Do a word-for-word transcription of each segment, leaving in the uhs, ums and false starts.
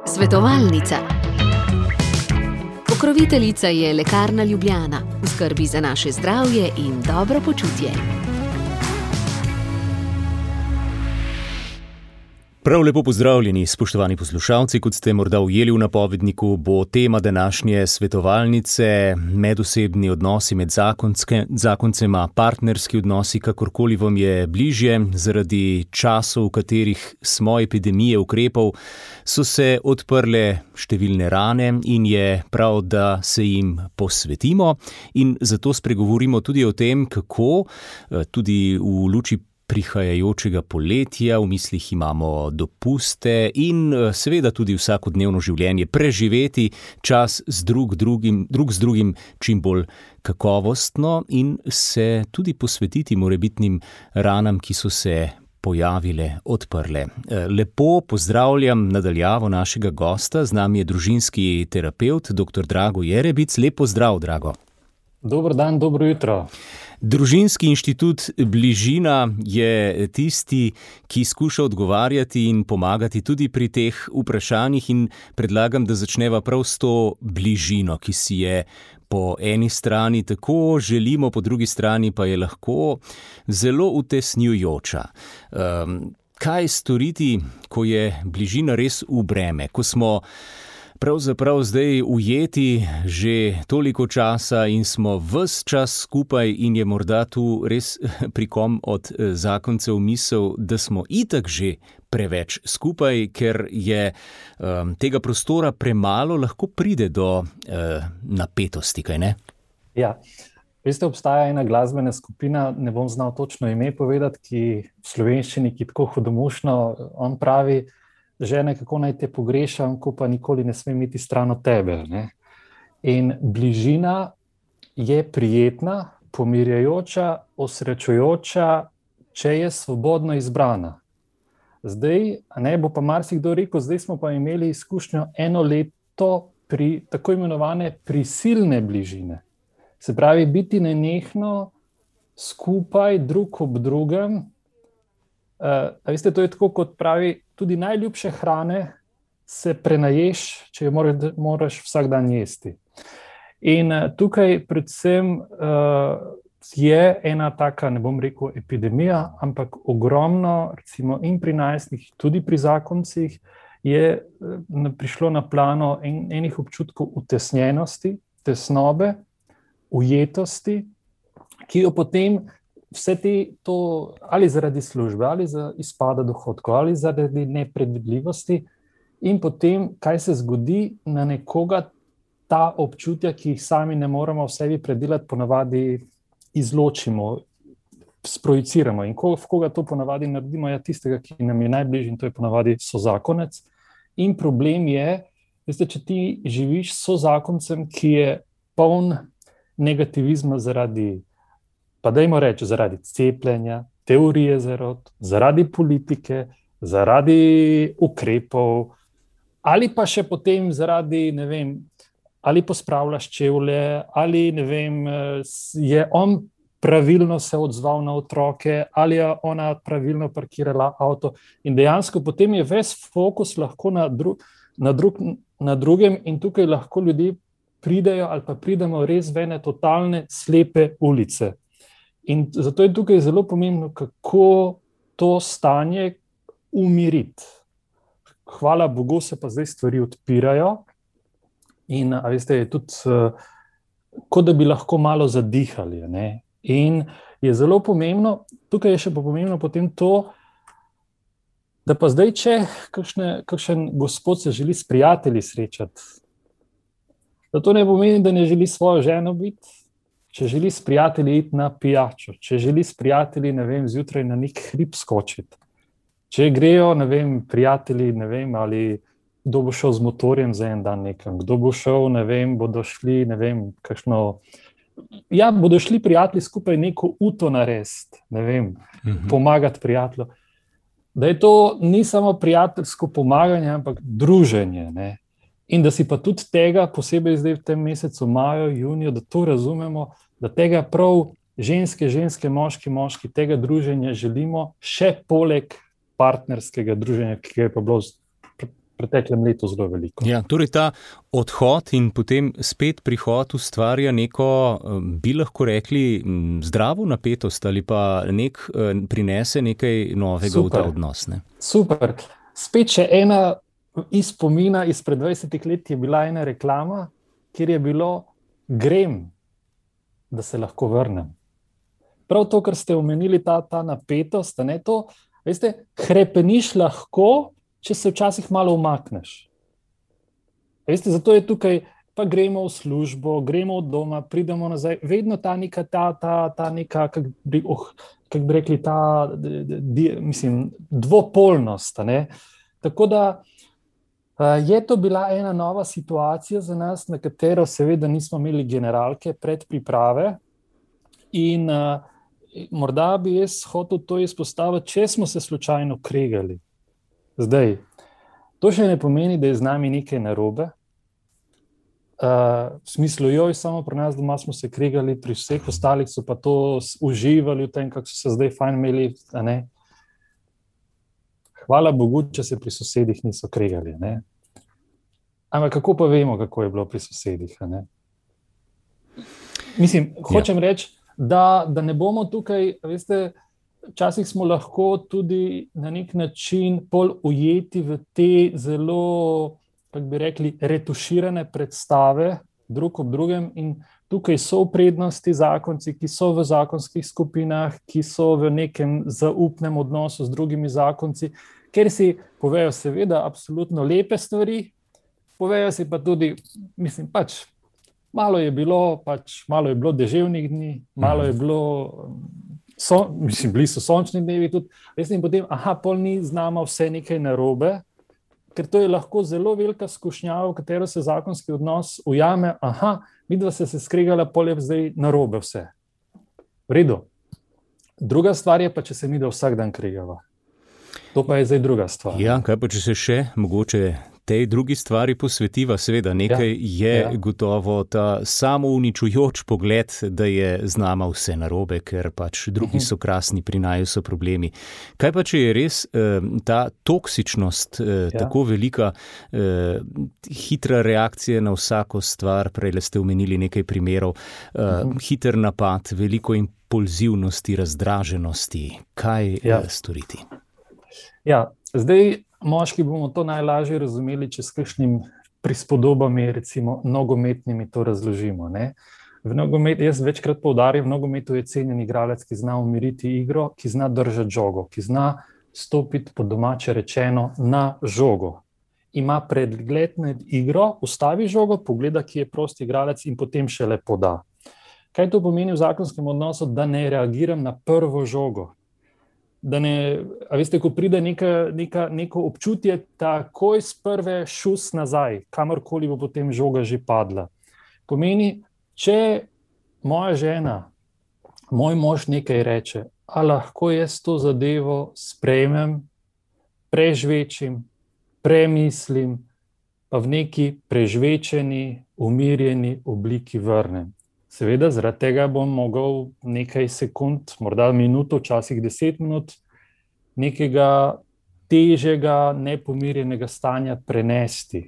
Svetovalnica. Pokroviteljica je Lekarna Ljubljana, v skrbi za naše zdravje in dobro počutje. Prav lepo pozdravljeni, spoštovani poslušalci, kot ste morda ujeli v napovedniku, bo tema današnje svetovalnice medosebni odnosi med zakonske, zakoncema, partnerski odnosi, kakorkoli vam je bližje. Zaradi časov, v katerih smo epidemije ukrepov, so se odprle številne rane in je prav, da se jim posvetimo in zato spregovorimo tudi o tem, kako tudi v luči prihajajočega poletja, v mislih imamo dopuste in seveda tudi vsakodnevno življenje preživeti čas z drug, drugim, drug z drugim čim bolj kakovostno in se tudi posvetiti morebitnim ranam, ki so se pojavile, odprle. Lepo pozdravljam nadaljavo našega gosta, z nami je družinski terapevt, doktor Drago Jerebic. Lep pozdrav, Drago. Dober dan, dobro jutro. Družinski inštitut Bližina je tisti, ki skuša odgovarjati in pomagati tudi pri teh vprašanjih in predlagam, da začneva prav s to bližino, ki si je po eni strani tako želimo, po drugi strani pa je lahko zelo utesnjujoča. Um, kaj storiti, ko je bližina res v breme, ko smo pravzaprav zdaj ujeti že toliko časa in smo ves čas skupaj in je morda tu res pri kom od zakoncev misel, da smo itak že preveč skupaj, ker je um, tega prostora premalo, lahko pride do uh, napetosti, kaj ne? Ja, veste, obstaja ena glasbena skupina, ne bom znal točno ime povedati, ki v slovenščini, ki tako hudomušno, on pravi, žene, kako naj te pogrešam, ko pa nikoli ne smem iti stran od tebe. Ne? In bližina je prijetna, pomirjajoča, osrečujoča, če je svobodno izbrana. Zdaj, ne bo pa marsikdo rekel, zdaj smo pa imeli izkušnjo eno leto pri tako imenovane prisilne bližine. Se pravi, biti nenehno skupaj, drug ob drugem. Uh, a veste, to je tako, kot pravi, tudi najljubše hrane se prenaješ, če jo moraš, moraš vsak dan jesti. In uh, tukaj predvsem uh, je ena taka, ne bom rekel epidemija, ampak ogromno, recimo in pri najstnikih, tudi pri zakoncih, je uh, prišlo na plano en, enih občutkov utesnjenosti, tesnobe, ujetosti, ki jo potem vse te, to, ali zaradi službe, ali za izpada dohodkov, ali zaradi nepredvidljivosti, in potem, kaj se zgodi, na nekoga ta občutja, ki jih sami ne moremo v sebi predelati, ponavadi izločimo, sprojiciramo. In ko, v koga to ponavadi naredimo, je tistega, ki nam je najbližji, in to je ponavadi sozakonec. In problem je, veste, če ti živiš s sozakoncem, ki je poln negativizma zaradi pa dajmo reči, zaradi cepljenja, teorije zarod, zaradi politike, zaradi ukrepov, ali pa še potem zaradi, ne vem, ali pospravljaš čevlje, ali ne vem, je on pravilno se odzval na otroke, ali je ona pravilno parkirala avto. In dejansko potem je ves fokus lahko na, dru, na, drug, na drugem in tukaj lahko ljudje pridejo ali pa pridemo res v ene totalne slepe ulice. In zato je tukaj zelo pomembno, kako to stanje umiriti. Hvala Bogu se pa zdaj stvari odpirajo in, a veste, je tudi, kot da bi lahko malo zadihali. Ne? In je zelo pomembno, tukaj je še pa pomembno potem to, da pa zdaj, če kakšne, kakšen gospod se želi s prijatelji srečati, da to ne pomeni, da ne želi svojo ženo biti, če želi s prijatelji iti na pijačo, če želi s prijatelji, ne vem, zjutraj na nek hrib skočiti, če grejo, ne vem, prijatelji, ne vem, ali kdo bo šel z motorjem za en dan nekam, kdo bo šel, ne vem, bodo šli, ne vem, kakšno, ja, bodo šli prijatelji skupaj neko uto narediti, ne vem, mhm. pomagati prijatelju. Da je to ni samo prijateljsko pomaganje, ampak druženje, ne. In da si pa tudi tega, posebej zdaj v tem mesecu maju, juniju, da to razumemo, da tega prav ženske, ženske, moški, moški, tega druženja želimo še poleg partnerskega druženja, ki je pa bilo v preteklem letu zelo veliko. Ja, torej ta odhod in potem spet prihod ustvarja neko, bi lahko rekli, zdravo napetost ali pa nek, prinese nekaj novega Super. v ta odnos. Ne? Super. Spet še ena iz spomina izpred dvajsetih let je bila ena reklama, kjer je bilo grem, da se lahko vrnem. Prav to, kar ste omenili, ta, ta napetost, ne, to, veste, hrepeniš lahko, če se včasih malo umakneš. Veste, zato je tukaj, pa gremo v službo, gremo od doma, pridemo nazaj, vedno ta neka, ta, ta, ta neka, kak bi, oh, kak bi rekli, ta, di, mislim, dvopolnost, ne. Tako da je to bila ena nova situacija za nas, na katero seveda nismo imeli generalke predpriprave in uh, morda bi jaz hotel to izpostaviti, če smo se slučajno kregali. Zdaj, to še ne pomeni, da je z nami nekaj narobe. Uh, v smislu, joj, samo pri nas doma smo se kregali, pri vseh ostalih so pa to uživali v tem, kako so se zdaj fajn imeli, a ne. Hvala Bogu, če se pri sosedih niso kregali, ne. Ampak kako pa vemo, kako je bilo pri sosedih, a ne? Mislim, hočem ja. reči, da, da ne bomo tukaj, veste, včasih smo lahko tudi na nek način pol ujeti v te zelo, kako bi rekli, retuširane predstave drug ob drugem in tukaj so v prednosti zakonci, ki so v zakonskih skupinah, ki so v nekem zaupnem odnosu z drugimi zakonci, ker si povejo seveda absolutno lepe stvari, povejo si pa tudi, mislim, pač, malo je bilo, pač, malo je bilo deževnih dni, malo je bilo, so, mislim, bili so sončni dnevi tudi, veste, in potem, aha, pol ni z nama vse nekaj narobe, ker to je lahko zelo velika skušnjava, v katero se zakonski odnos ujame, aha, midva se se skregala, pol je zdaj narobe vse. V redu. Druga stvar je pa, če se midva vsak dan kregava. To pa je zdaj druga stvar. Ja, kaj pa, če se še mogoče tej drugi stvari posvetiva, seveda nekaj ja, je ja. gotovo ta samouničujoč pogled, da je z nama vse narobe, ker pač drugi so krasni, pri naju so problemi. Kaj pa, če je res eh, ta toksičnost eh, ja. tako velika, eh, hitra reakcija na vsako stvar, prej ste omenili nekaj primerov, eh, uh-huh. hiter napad, veliko impulzivnosti, razdraženosti, kaj ja. eh, storiti? Ja, zdaj moški bomo to najlažje razumeli, če s kakšnim prispodobami, recimo nogometnimi, to razložimo. Ne? V nogometu, jaz večkrat poudarjam, v nogometu je cenjen igralec, ki zna umiriti igro, ki zna držati žogo, ki zna stopiti po domače rečeno na žogo. Ima pregled nad igro, ustavi žogo, pogleda, ki je prosti igralec in potem šele poda. Kaj to pomeni v zakonskem odnosu? Da ne reagiram na prvo žogo. Da ne, a veste, ko pride neka, neka, neko občutje, takoj z prve šus nazaj, kamorkoli bo potem žoga že padla. Pomeni, če moja žena, moj mož nekaj reče, a lahko jaz to zadevo sprejmem, prežvečim, premislim, pa v neki prežvečeni, umirjeni obliki vrnem. Seveda, zaradi tega bom mogel nekaj sekund, morda minuto, včasih deset minut, nekega težjega, nepomirjenega stanja prenesti.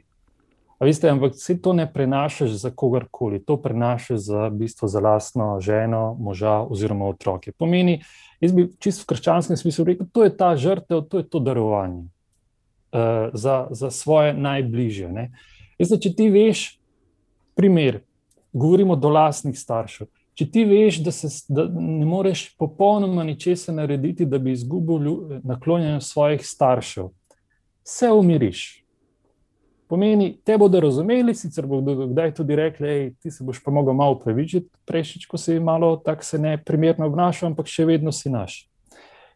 A veste, ampak vse to ne prenašaš za kogarkoli, to prenašaš za, v bistvu, za lastno ženo, moža oziroma otroke. Pomeni, jaz bi čisto v krščanskem smislu rekel, to je ta žrtev, to je to darovanje uh, za, za svoje najbližje. Ne? Veste, če ti veš, primer, govorimo do lastnih staršev. Če ti veš, da, se, da ne moreš popolnoma ničesa narediti, da bi izgubil naklonjenost svojih staršev, se umiriš. Pomeni, te bodo razumeli, sicer bodo kdaj tudi rekli, ej, ti se boš pa mogel malo upravičiti, prejšič, ko si malo tak se neprimerno obnašal, ampak še vedno si naš.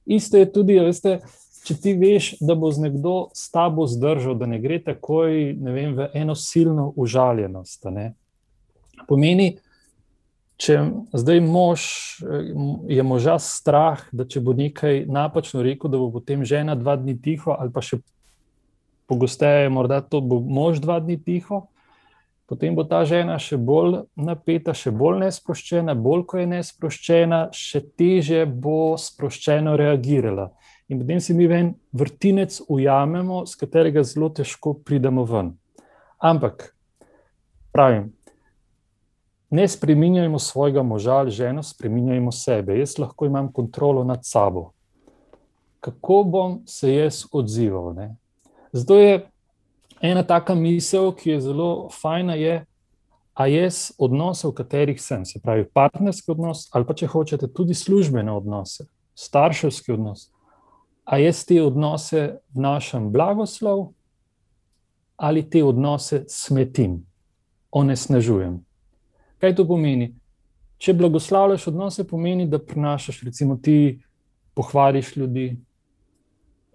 Isto je tudi, veste, če ti veš, da bo z nekdo s tabo zdržal, da ne gre takoj, ne vem, v eno silno užaljenost, ne? Pomeni, če zdaj mož, je moža strah, da če bo nekaj napačno rekel, da bo potem žena dva dni tiho, ali pa še pogosteje morda to bo mož dva dni tiho, potem bo ta žena še bolj napeta, še bolj nesproščena, bolj ko je nesproščena, še težje bo sproščeno reagirala. in potem si mi ven vrtinec ujamemo, z katerega zelo težko pridemo ven. Ampak, pravim, ne spreminjajmo svojega moža ali ženo, spreminjajmo sebe. Jaz lahko imam kontrolo nad sabo. Kako bom se jaz odzival? Ne? Zato je ena taka misel, ki je zelo fajna, je, a jaz odnose, v katerih sem, se pravi partnerski odnos, ali pa če hočete tudi službene odnose, starševski odnos, a jaz te odnose vnašam blagoslov ali te odnose smetim, onesnažujem. Kaj to pomeni? Če blagoslavljaš odnose, pomeni, da prinašaš, recimo ti pohvališ ljudi,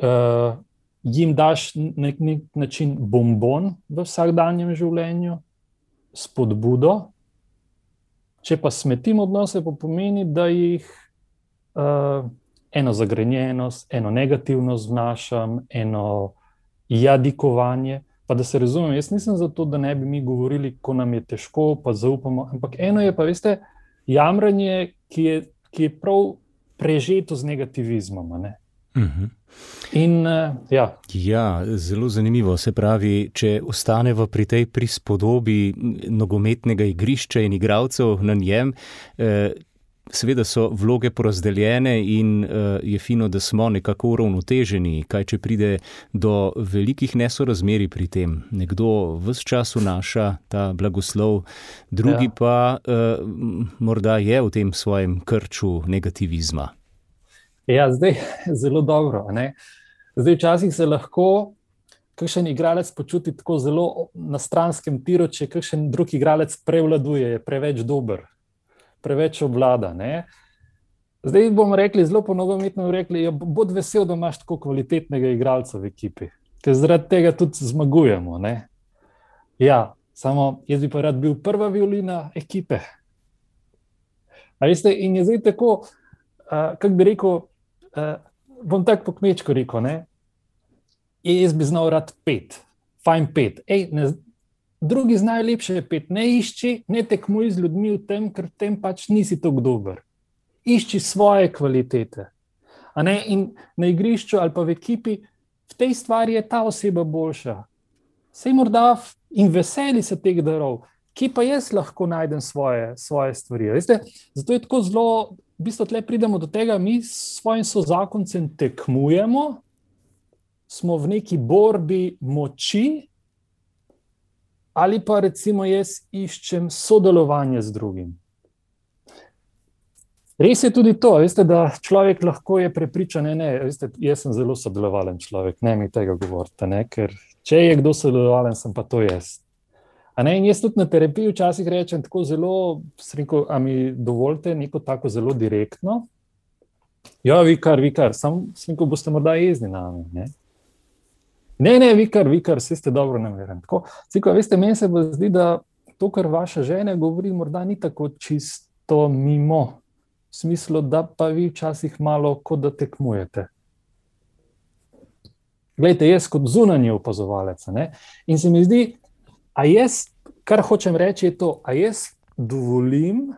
uh, jim daš na nek način bonbon v vsakdanjem življenju, spodbudo. Če pa smetim odnose, pa pomeni, da jih uh, eno zagrenjenost, eno negativnost vnašam, eno jadikovanje. Pa da se razumem, jaz nisem za to, da ne bi mi govorili, ko nam je težko, pa zaupamo, ampak eno je pa, veste, jamranje, ki je, ki je prav prežeto z negativizmom, ne? Uh-huh. In, uh, ja. Ja, zelo zanimivo. Se pravi, če ostaneva pri tej prispodobi nogometnega igrišča in igralcev na njem, eh, seveda so vloge porazdeljene in uh, je fino, da smo nekako uravnoteženi, kaj če pride do velikih nesorazmerij pri tem. Nekdo ves čas vnaša ta blagoslov, drugi ja. pa uh, morda je v tem svojem krču negativizma. Ja, zdaj zelo dobro. Ne? Zdaj včasih se lahko kakšen igralec počuti tako zelo na stranskem tiru, če kakšen drug igralec prevladuje, je preveč dober. Preveč obvlada. Ne? Zdaj bomo rekli, zelo po nogometno rekli, ja, bod vesel, da imaš tako kvalitetnega igralca v ekipi, ker zaradi tega tudi zmagujemo. Ne? Ja, samo jaz bi pa rad bil prva violina ekipe. A veste, in je zdaj tako, uh, kako bi rekel, uh, bom tako po kmečko rekel, ne? Jaz bi znal rad pet, fajn pet. Ej, ne, drugi znajo lepše pet, ne išči, ne tekmuj z ljudmi v tem, ker v tem pač nisi tako dober. Išči svoje kvalitete. A ne? In na igrišču ali pa v ekipi, v tej stvari je ta oseba boljša. Sej morda in veseli se teh darov, ki pa jaz lahko najdem svoje, svoje stvari. Veste? Zato je tako zelo, v bistvu tle pridemo do tega, mi s svojim sozakoncem tekmujemo, smo v neki borbi moči, ali pa recimo jaz iščem sodelovanje z drugim. Res je tudi to, veste, da človek lahko je prepričan, ne, ne, veste, jaz sem zelo sodelovalen človek, ne mi tega govorite, ne, ker če je kdo sodelovalen, sem pa to jaz. A ne, in jaz tudi na terapiji včasih rečem tako zelo, rekel, a mi dovolite neko tako zelo direktno? Ja, vikar, vikar, sam rekel, boste morda jezni na me, ne? Ne, ne, vikar, vikar, vsi ste dobro nameren. Tako, ciko, veste, meni se bo zdi, da to, kar vaša žena govori, morda ni tako čisto mimo, v smislu, da pa vi včasih malo kot da tekmujete. Glejte, jaz kot zunanji opazovalec, ne? In se mi zdi, a jaz, kar hočem reči, je to, a jaz dovolim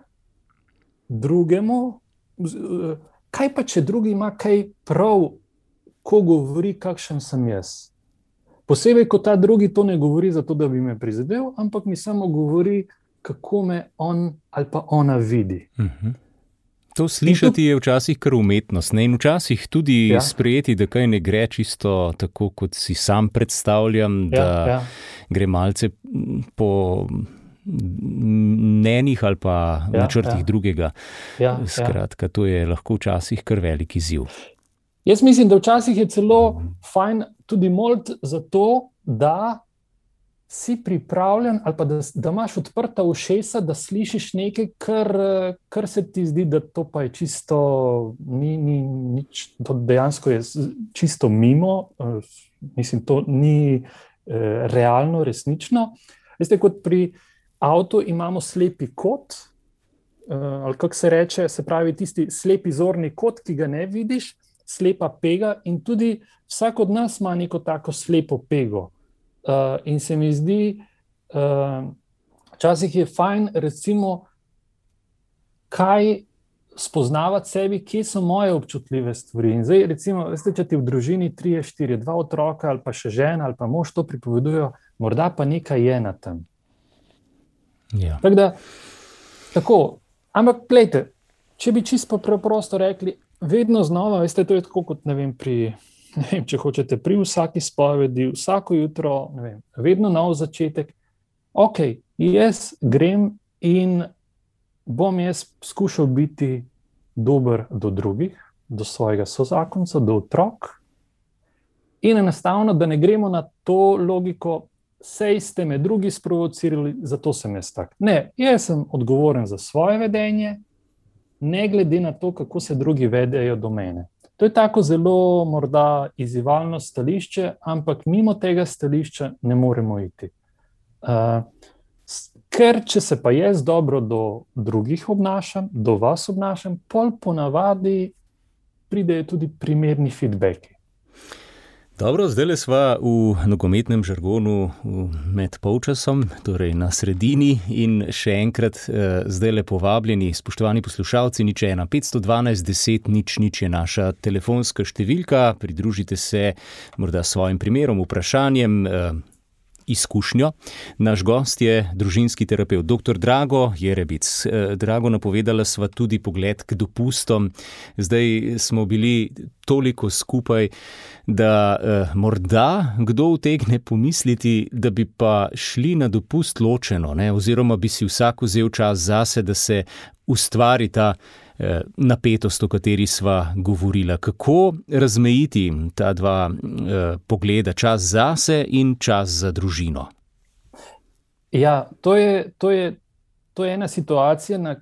drugemu, kaj pa, če drugi ima kaj prav, ko govori, kakšen sem jaz. Posebej, ko ta drugi to ne govori zato, da bi me prizadel, ampak mi samo govori, kako me on ali pa ona vidi. Uh-huh. To slišati je včasih kar umetnost, ne? In včasih tudi ja. sprejeti, da kaj ne gre čisto tako, kot si sam predstavljam, ja, da ja. gre malce po mnenjih ali pa ja, načrtih ja. drugega. Ja, Skratka, ja. to je lahko včasih kar velik izziv. Jaz mislim, da včasih je celo fajn tudi moliti za to, da si pripravljen ali pa da, da imaš odprta ušesa, da slišiš nekaj, kar, kar se ti zdi, da to pa je čisto, ni, ni, nič, to dejansko je čisto mimo, mislim, to ni eh, realno, resnično. Veste, kot pri avtu imamo slepi kot, eh, ali kako se reče, se pravi tisti slepi zorni kot, ki ga ne vidiš, slepa pega, in tudi vsak od nas ima neko tako slepo pego. Uh, in se mi zdi, uh, včasih je fajn, recimo, kaj spoznavati sebi, kje so moje občutljive stvari. In zdaj, recimo, veste, če ti v družini trije, štiri, dva otroka ali pa še žena ali pa mož to pripovedujejo, morda pa nekaj je na tem. Ja. Tako da, tako, ampak glejte, če bi čisto preprosto rekli, vedno znova, veste, to je tako kot, ne vem, pri, ne vem, če hočete, pri vsaki spovedi, vsako jutro, ne vem, vedno nov začetek. Ok, jaz grem in bom jaz skušal biti dober do drugih, do svojega sozakonca, do otrok. In enostavno, da ne gremo na to logiko, sej ste me drugi sprovocirali, zato sem jaz tak. Ne, jaz sem odgovoren za svoje vedenje, ne glede na to, kako se drugi vedejo do mene. To je tako zelo morda izzivalno stališče, ampak mimo tega stališča ne moremo iti. Uh, ker če se pa jaz dobro do drugih obnašam, do vas obnašam, pol ponavadi pridejo tudi primerni feedbacki. Dobro, zdaj sva v nogometnem žargonu med polčasom, torej na sredini in še enkrat zdaj le povabljeni, spoštovani poslušalci, nič ena, petsto dvanajst deset nič nič je naša telefonska številka, pridružite se morda svojim primerom, vprašanjem, izkušnjo. Naš gost je družinski terapevt, doktor Drago Jerebic. Drago, napovedala sva tudi pogled k dopustom. Zdaj smo bili toliko skupaj, da eh, morda kdo utegne pomisliti, da bi pa šli na dopust ločeno, ne? Oziroma bi si vsak vzel čas zase, da se ustvari ta eh, napetost, o kateri sva govorila. Kako razmejiti ta dva eh, pogleda, čas zase in čas za družino? Ja, to je, to je, to je ena situacija, na,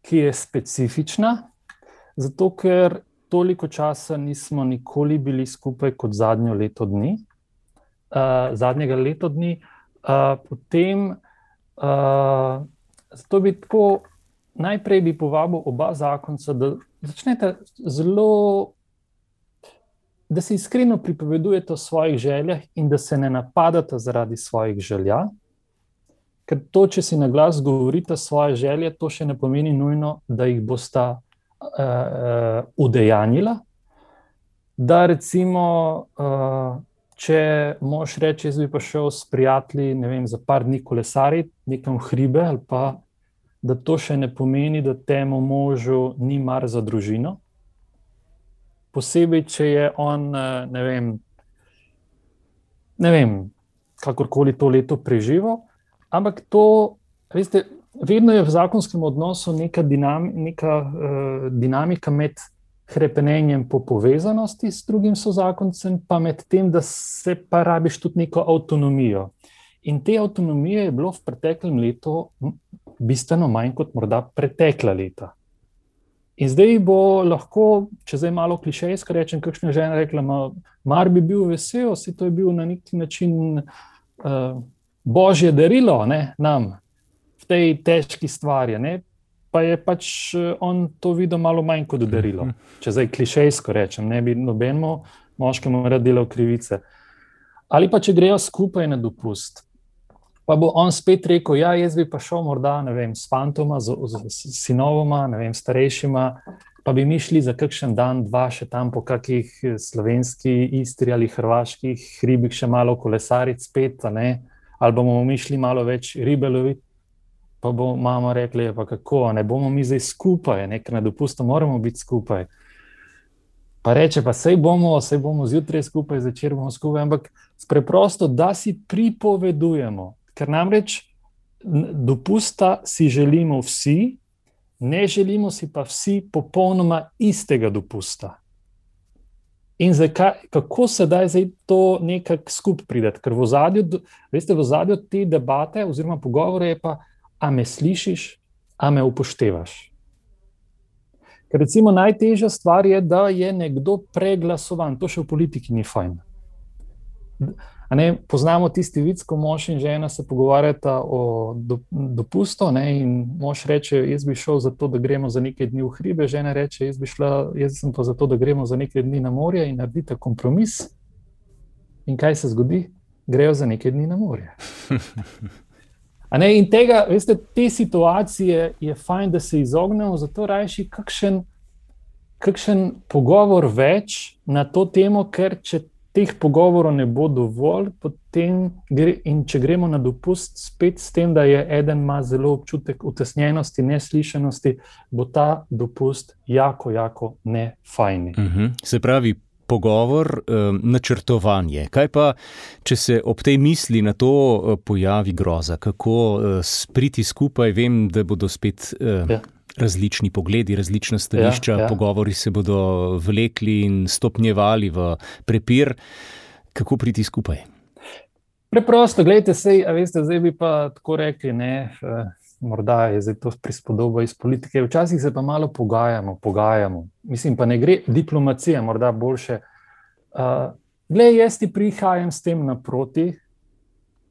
ki je specifična, zato ker toliko časa nismo nikoli bili skupaj kot zadnjo leto dni, uh, zadnjega leto dni. Uh, potem, uh, zato bi tako, najprej bi povabil oba zakonca, da začnete zelo, da se iskreno pripovedujete o svojih željah in da se ne napadate zaradi svojih želja, ker to, če si na glas govorite svoje želje, to še ne pomeni nujno, da jih bosta Uh, udejanjila, da recimo, uh, če mož reči, jaz bi pa šel s prijatelji, ne vem, za par dni kolesariti nekam v hribe, ali pa, da to še ne pomeni, da temu možu ni mar za družino. Posebej, če je on, ne vem, ne vem, kakorkoli to leto preživel, ampak to, veste, vedno je v zakonskem odnosu neka, dinam, neka uh, dinamika med hrepenenjem po povezanosti s drugim sozakoncem, pa med tem, da se pa rabiš tudi neko avtonomijo. In te avtonomije je bilo v preteklem letu bistveno manj kot morda pretekla leta. In zdaj bo lahko, če zdaj malo klišejsko rečem, kakšna žena rekla, ma, mar bi bil vesel, si to je bil na neki način uh, božje darilo, ne, nam, v tej težki stvari, ne? Pa je pač on to videl malo manj kot darilo. Če zdaj klišejsko rečem, ne bi nobenemu moškemu rad delal krivice. Ali pa če grejo skupaj na dopust, pa bo on spet rekel, ja, jaz bi pa šel morda, ne vem, s fantoma, z, z sinovoma, ne vem, starejšima, pa bi mi šli za kakšen dan, dva še tam po kakih slovenski, Istri ali hrvaških hribih še malo kolesariti spet, ne? Ali bomo mi šli malo več ribe loviti. Pa bo mama rekla, pa kako, ne bomo mi zdaj skupaj, ker na dopustu moramo biti skupaj. Pa reče, pa sej bomo, sej bomo zjutraj skupaj, zvečer bomo skupaj, ampak preprosto, da si pripovedujemo, ker namreč dopusta si želimo vsi, ne želimo si pa vsi popolnoma istega dopusta. In zakaj, kako se da zdaj to nekako skupaj prideti? Ker v ozadju, veste, v ozadju te debate oziroma pogovore je pa, a me slišiš, a me upoštevaš. Ker recimo najtežja stvar je, da je nekdo preglasovan. To še v politiki ni fajn. A ne, poznamo tisti vic, ko mož in žena se pogovarjata o dopustu, ne, in mož reče, jaz bi šel za to, da gremo za nekaj dni v hribe, žena reče, jaz bi šla, jaz sem pa za to, da gremo za nekaj dni na morje in naredite kompromis. In kaj se zgodi? Grejo za nekaj dni na morje. A ne, in tega, veste, te situacije je fajn, da se izognemo, zato rajši kakšen, kakšen pogovor več na to temo, ker če teh pogovorov ne bo dovolj, potem gre, in če gremo na dopust spet s tem, da je eden ima zelo občutek utesnjenosti, neslišanosti, bo ta dopust jako, jako nefajni. Uh-huh. Se pravi, pogovor, um, načrtovanje. Kaj pa, če se ob tej misli na to uh, pojavi groza? Kako uh, spriti skupaj? Vem, da bodo spet uh, ja. različni pogledi, različna stališča, ja, ja. pogovori se bodo vlekli in stopnjevali v prepir. Kako priti skupaj? Preprosto, gledajte, sej, a veste, zdaj bi pa tako rekli, ne, morda je zdaj to prispodoba iz politike, včasih se pa malo pogajamo, pogajamo. Mislim, pa ne gre diplomacija, morda boljše. Uh, glej, jaz ti prihajam s tem naproti,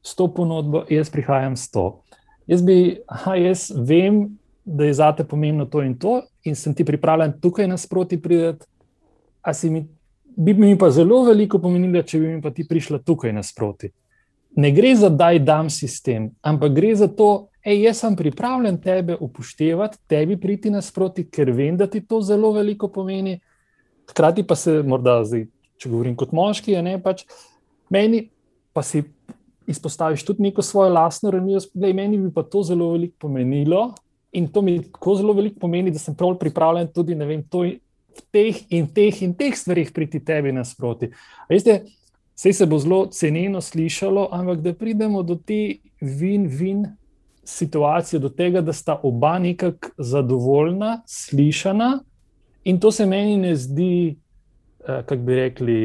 s to ponudbo, jaz prihajam s to. Jaz bi, aha, jaz vem, da je zate pomembno to in to in sem ti pripravljen tukaj nasproti prideti, a si mi, bi mi pa zelo veliko pomenilo, če bi mi pa ti prišla tukaj nasproti. Ne gre za daj dam sistem, ampak gre za to, ej, jaz sem pripravljen tebe upoštevati, tebi priti nasproti, ker vem, da ti to zelo veliko pomeni. Hkrati pa se morda, zdaj, če govorim kot moški, ne, pač meni pa si izpostaviš tudi neko svojo lastno ranljivost, glej, meni bi pa to zelo veliko pomenilo, in to mi tako zelo veliko pomeni, da sem prav pripravljen tudi, ne vem, to v teh in teh in teh stvarih priti tebi nasproti. Veste, sej se bo zelo ceneno slišalo, ampak da pridemo do te win-win situacije, do tega, da sta oba nekako zadovoljna, slišana, in to se meni ne zdi, kako bi rekli,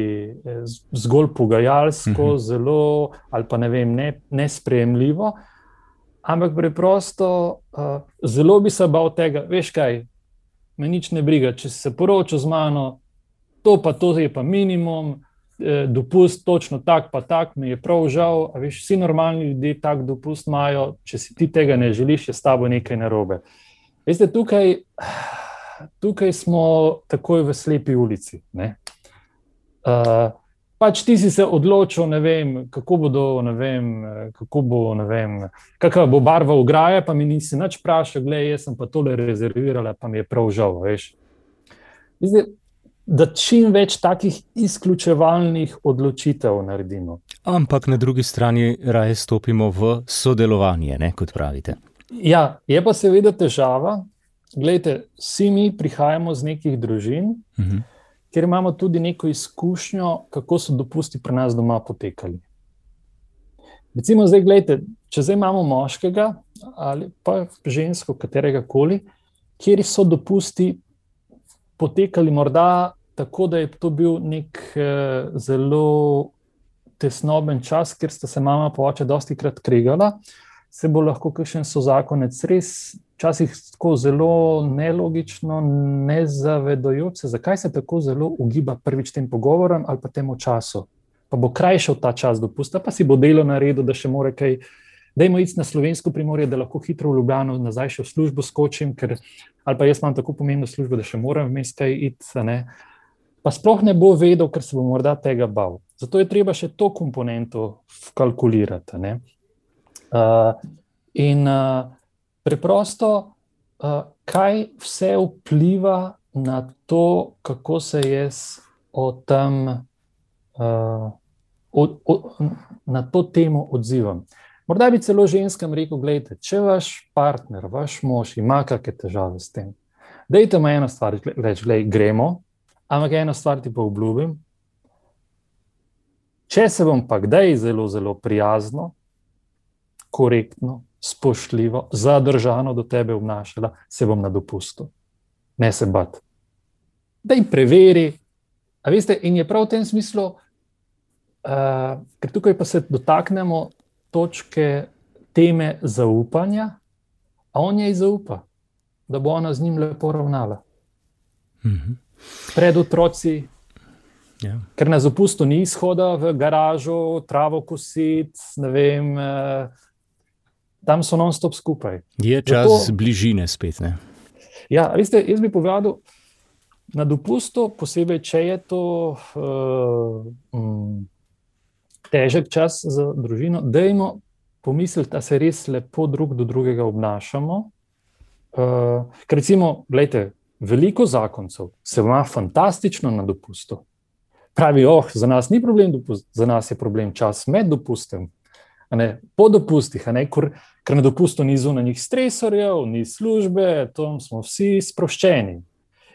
zgolj pogajalsko, mhm. zelo, ali pa ne vem, ne, nesprejemljivo, ampak preprosto uh, zelo bi se bal tega, veš kaj, me nič ne briga, če se poročil z mano, to pa to je pa minimum, eh, dopust točno tak pa tak, mi je prav žal, a veš, vsi normalni ljudje tak dopust imajo, če si ti tega ne želiš, je s tabo nekaj narobe. Veste, tukaj, tukaj smo takoj v slepi ulici, ne. Uh, Pač ti si se odločil, ne vem, kako bo, do, ne vem, kako bo, ne vem, kakva bo barva ograje, pa mi nisi nič vprašal, glej, jaz sem pa tole rezervirala, pa mi je prav žal, veš. Zdaj, da čim več takih izključevalnih odločitev naredimo. Ampak na drugi strani raje stopimo v sodelovanje, ne, kot pravite. Ja, je pa seveda težava. Glejte, vsi mi prihajamo z nekih družin, uh-huh. ker imamo tudi neko izkušnjo, kako so dopusti pri nas doma potekali. Recimo zdaj, gledajte, če zdaj imamo moškega ali pa žensko, katerega koli, kjer so dopusti potekali morda tako, da je to bil nek eh, zelo tesnoben čas, ker sta se mama pa oče dostikrat kregala, se bo lahko kakšen sozakonec res včasih tako zelo nelogično, nezavedajoč se, zakaj se tako zelo ugiba prvič tem pogovorom ali pa temu času. Pa bo krajšal ta čas dopusta, pa si bo delo naredil, da še more kaj, dajmo iti na Slovensko Primorje, da lahko hitro v Ljubljano nazaj še v službo skočim, ker, ali pa jaz imam tako pomembno službo, da še moram vmes kaj iti, ne. Pa sploh ne bo vedel, ker se bo morda tega bal. Zato je treba še to komponento vkalkulirati, ne. Uh, in uh, preprosto, uh, kaj vse vpliva na to, kako se jaz o tem, uh, o, o, na to temo odzivam. Morda bi celo ženskam rekel, gledajte, če vaš partner, vaš mož ima kakšne težave s tem, dajte me eno stvar reči, gledaj, gremo, ampak eno stvar ti pa obljubim, če se bom pa kdaj zelo, zelo prijazno, korektno, spoštljivo, zadržano do tebe obnašala, se bom na dopustu. Ne se bat. Daj preveri. A veste, in je prav v tem smislu, uh, ker tukaj pa se dotaknemo točke teme zaupanja, a on jej zaupa, da bo ona z njim lepo ravnala. Mhm. Pred otroci, ja. Ker na dopustu ni izhoda v garažo, travo kosit, ne vem, uh, tam so non-stop skupaj. Je čas zato, bližine spet, ne? Ja, veste, jaz bi povedal, na dopustu, posebej, če je to uh, um, težek čas za družino, dajmo pomisliti, da se res lepo drug do drugega obnašamo. Uh, ker recimo, gledajte, veliko zakoncev se ima fantastično na dopustu. Pravi, oh, za nas ni problem dopust, za nas je problem čas med dopustem, a ne, po dopustih, a ne, ker, ker na dopustu ni zunanjih stresorjev, ni službe, tam smo vsi sproščeni.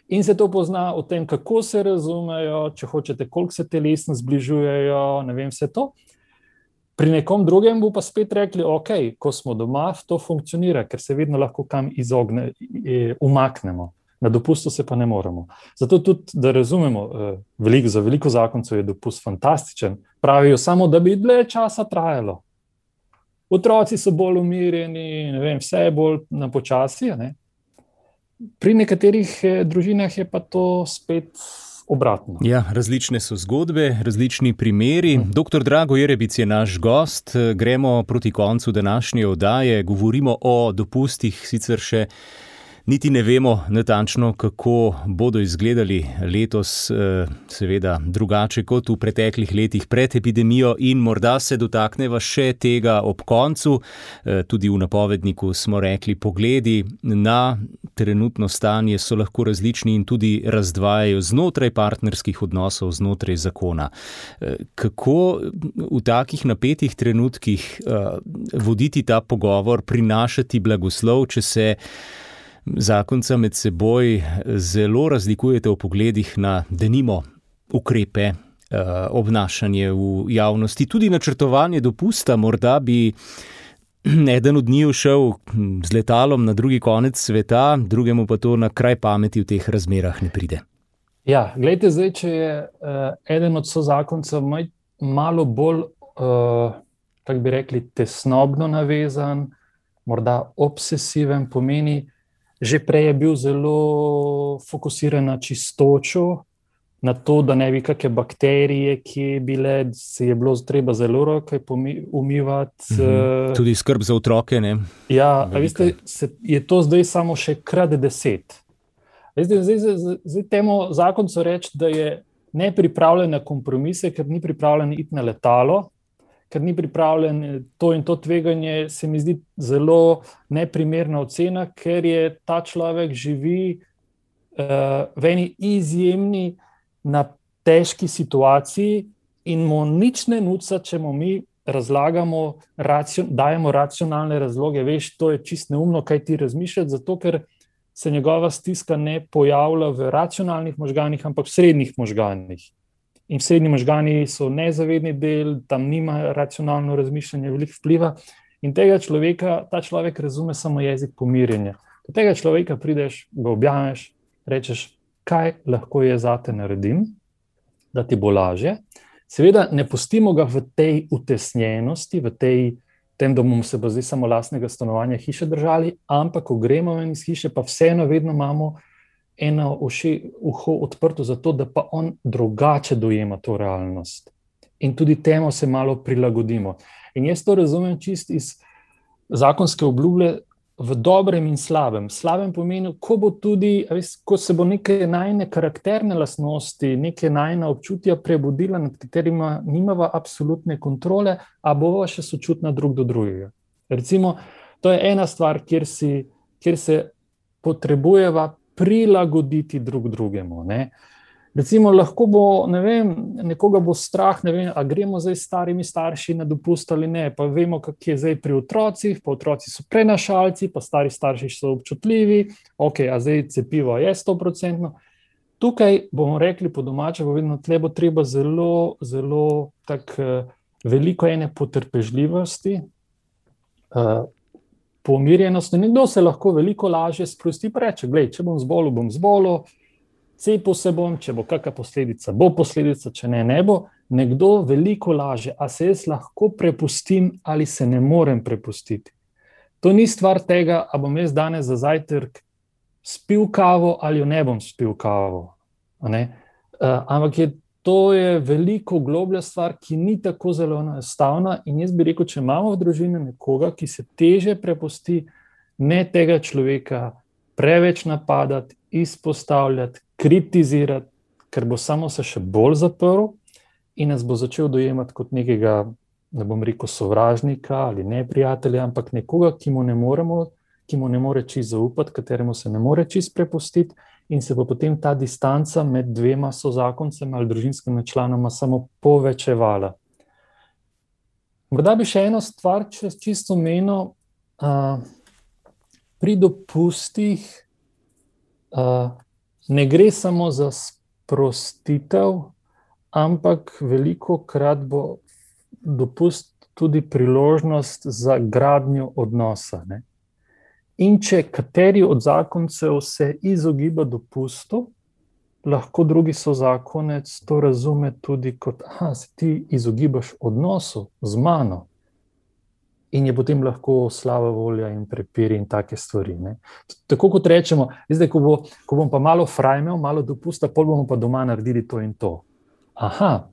In se to pozna o tem, kako se razumejo, če hočete, koliko se telesno zbližujejo, ne vem, vse to. Pri nekom drugem bo pa spet rekli, ok, ko smo doma, to funkcionira, ker se vedno lahko kam izogne, umaknemo. Na dopustu se pa ne moremo. Zato tudi, da razumemo, veliko, za veliko zakoncev je dopust fantastičen. Pravijo samo, da bi dlje časa trajalo. Otroci so bolj umirjeni, ne vem, vse je bolj na počasi, ne? Pri nekaterih družinah je pa to spet obratno. Ja, različne so zgodbe, različni primeri. Doktor Drago Jerebic je naš gost. Gremo proti koncu današnje oddaje. Govorimo o dopustih, sicer še niti ne vemo natančno, kako bodo izgledali letos, seveda drugače kot v preteklih letih pred epidemijo, in morda se dotakneva še tega ob koncu. Tudi v napovedniku smo rekli, pogledi na trenutno stanje so lahko različni in tudi razdvajajo znotraj partnerskih odnosov, znotraj zakona. Kako v takih napetih trenutkih voditi ta pogovor, prinašati blagoslov, če se zakonca med seboj zelo razlikujete v pogledih na, denimo, ukrepe, obnašanje v javnosti, tudi načrtovanje dopusta? Morda bi eden od njiju šel z letalom na drugi konec sveta, drugemu pa to na kraj pameti v teh razmerah ne pride. Ja, gledajte, zdaj, če je uh, eden od sozakoncev malo bolj, uh, kako bi rekli, tesnobno navezan, morda obsesiven, pomeni, že prej je bil zelo fokusiran na čistočo, na to, da ne bi kakšne bakterije, ki je bile, se je bilo treba zelo roke umivati. Mhm. Tudi skrb za otroke, ne? Ja, a veste, se, je to zdaj samo še krat deset. Veste, zdaj, zdaj, zdaj temu zakoncu reči, da je nepripravljen na kompromise, ker ni pripravljen iti na letalo, ker ni pripravljen to in to tveganje, se mi zdi zelo neprimerna ocena, ker je ta človek živi uh, v eni izjemni, na težki situaciji in mu nič ne nuca, če mu mi razlagamo, racion, dajemo racionalne razloge. Veš, to je čist neumno, kaj ti razmišljati, zato ker se njegova stiska ne pojavlja v racionalnih možganih, ampak v srednjih možganih. In srednji možgani so nezavedni del, tam nima racionalno razmišljanje, veliko vpliva. In tega človeka, ta človek razume samo jezik pomirjenja. Do tega človeka prideš, ga objameš, rečeš, kaj lahko je zate naredim, da ti bo lažje. Seveda ne pustimo ga v tej utesnjenosti, v tej, tem, da bomo se pa zdaj samo lastnega stanovanja hiše držali, ampak ko gremo ven iz hiše, pa vseeno vedno imamo eno uši, uho odprto za to, da pa on drugače dojema to realnost. In tudi temu se malo prilagodimo. In jaz to razumem čist iz zakonske obljube v dobrem in slabem. Slabem pomeni, ko bo tudi, ko se bo neke najne karakterne lastnosti, neke najna občutja prebudila, nad katerima nimava absolutne kontrole, a bova še sočutna drug do drugega. Recimo, to je ena stvar, kjer, si, kjer se potrebujeva prilagoditi drug drugemu, ne. Recimo, lahko bo, ne vem, nekoga bo strah, ne vem, a gremo zdaj starimi starši na dopust ali ne, pa vemo, kak je zdaj pri otrocih, pa otroci so prenašalci, pa stari starši so občutljivi, ok, a zdaj cepivo je sto procentno. Tukaj bomo rekli po domače, bo vedno tle bo treba zelo, zelo tak veliko ene potrpežljivosti, uh, pomirjenosti. Nekdo se lahko veliko lažje sprosti, pa reče, glej, če bom zbolel, bom zbolel, cepil se bom, če bo kakšna posledica, bo posledica, če ne, ne bo. Nekdo veliko laže, a se jaz lahko prepustim ali se ne morem prepustiti. To ni stvar tega, a bom jaz danes za zajtrk spil kavo ali jo ne bom spil kavo. Ne? Uh, ampak je, to je veliko globlja stvar, ki ni tako zelo enostavna in jaz bi rekel, če imamo v družini nekoga, ki se teže prepusti, ne tega človeka preveč napadati, izpostavljati, kritizirati, ker bo samo se še bolj zaprl in nas bo začel dojemati kot nekega ne bom rekel sovražnika ali neprijatelja, ampak nekoga, ki mu ne moremo, ki mu ne more čisto zaupati, kateremu se ne more čisto prepustiti, in se bo potem ta distanca med dvema sozakoncema ali družinskima članoma samo povečevala. Morda bi še eno stvar čisto omenil, uh, pri dopustih uh, ne gre samo za sprostitev, ampak velikokrat bo dopust tudi priložnost za gradnjo odnosa, ne. In če kateri od zakoncev se izogiba dopustu, lahko drugi sozakonec to razume tudi kot, aha, se ti izogibaš odnosu z mano. In je potem lahko slaba volja in prepiri in take stvari, ne. Tako kot rečemo, zdaj, ko, bo, ko bom pa malo frajmel, malo dopusta, pol bomo pa doma naredili to in to. Aha,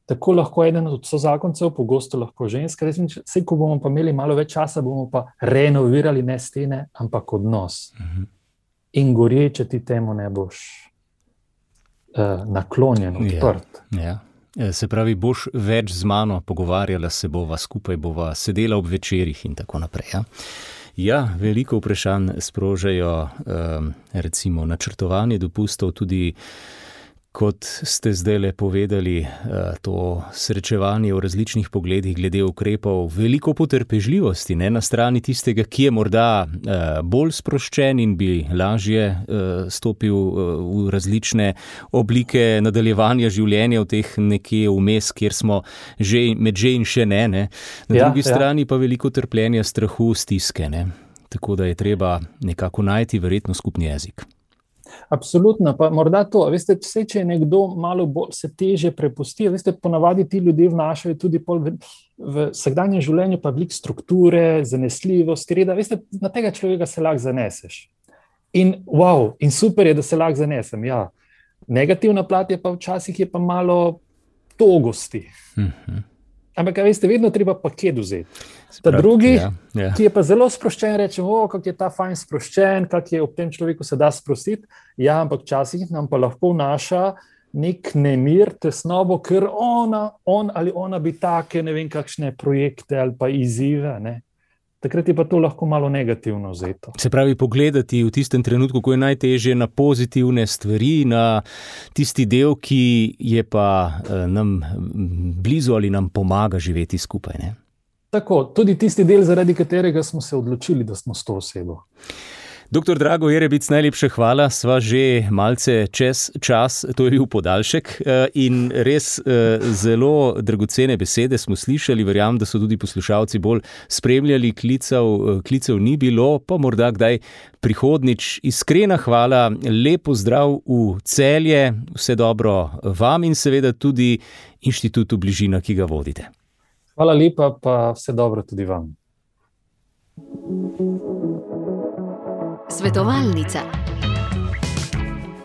tako lahko eden od sozakoncev, pogosto lahko ženska, vse, ko bomo pa imeli malo več časa, bomo pa renovirali ne stene, ampak odnos. Uh-huh. In gorje, če ti temu ne boš uh, naklonjen, odprt. Ja, ja. Se pravi, boš več z mano pogovarjala, se bova skupaj, bova sedela ob večerih in tako naprej. Ja, ja, veliko vprašanj sprožajo um, recimo načrtovanje dopustov, tudi kot ste zdajle povedali, to srečevanje v različnih pogledih glede ukrepov, veliko potrpežljivosti, ne, na strani tistega, ki je morda bolj sproščen in bi lažje stopil v različne oblike nadaljevanja življenja v teh nekje vmes, kjer smo že, med že in še ne, ne. Na ja, drugi ja. strani pa veliko trpljenja, strahu, stiske, ne. Tako da je treba nekako najti verjetno skupni jezik. Absolutno, pa morda to, veste, vse, če je nekdo malo bolj se teže prepusti, veste, ponavadi ti ljudje vnašajo tudi pol v, v vsakdanjem življenju pa veliko strukture, zanesljivost, reda, veste, na tega človeka se lahko zaneseš. In wow, in super je, da se lahko zanesem, ja. Negativna plat je pa včasih je pa malo togosti. Mhm. Ampak, veste, vedno treba paket vzeti. Ta drugi, ja, ja. ki je pa zelo sproščen, rečemo, o, kak je ta fajn sproščen, kak je ob tem človeku se da sprostiti. Ja, ampak včasih nam pa lahko vnaša nek nemir, tesnobo, ker ona, on ali ona bi take, ne vem, kakšne projekte ali pa izzive, ne. Takrat je pa to lahko malo negativno vzeto. Se pravi, pogledati v tistem trenutku, ko je najtežje, na pozitivne stvari, na tisti del, ki je pa nam blizu ali nam pomaga živeti skupaj, ne? Tako, tudi tisti del, zaradi katerega smo se odločili, da smo s to osebo. Doktor Drago Jerebic, najlepša hvala, sva že malce čez čas, to je bil podaljšek in res zelo dragocene besede smo slišali, verjamem, da so tudi poslušalci bolj spremljali, klicev, klicev ni bilo, pa morda kdaj prihodnič. Iskrena hvala, lep pozdrav v Celje, vse dobro vam in seveda tudi Inštitutu Bližina, ki ga vodite. Hvala lepa, pa vse dobro tudi vam. Svetovalnica.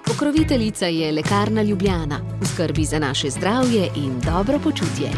Pokroviteljica je Lekarna Ljubljana, v skrbi za naše zdravje in dobro počutje.